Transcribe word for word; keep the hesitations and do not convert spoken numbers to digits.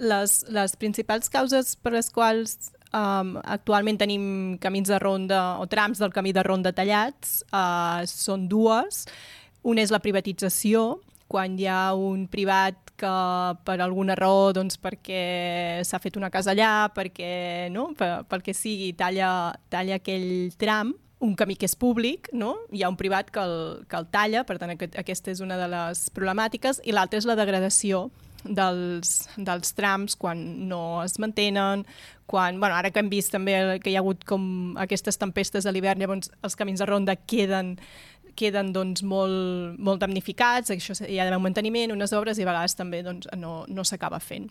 les, les principals causes per les quals um, actualment tenim camins de ronda o trams del camí de ronda tallats uh, són dues. Una és la privatització, quan hi ha un privat que per alguna raó, doncs perquè s'ha fet una casa allà, perquè, no? per, pel que sigui, talla, talla aquell tram, un camí que és públic, no? Hi ha un privat que el, que el talla, per tant aquest, aquesta és una de les problemàtiques, i l'altra és la degradació dels, dels trams quan no es mantenen, quan, bueno, ara que hem vist també que hi ha hagut com aquestes tempestes a l'hivern, llavors els camins de ronda queden queden doncs, molt, molt damnificats, això hi ha d'haver un manteniment, unes obres, i a vegades també doncs, no, no s'acaba fent.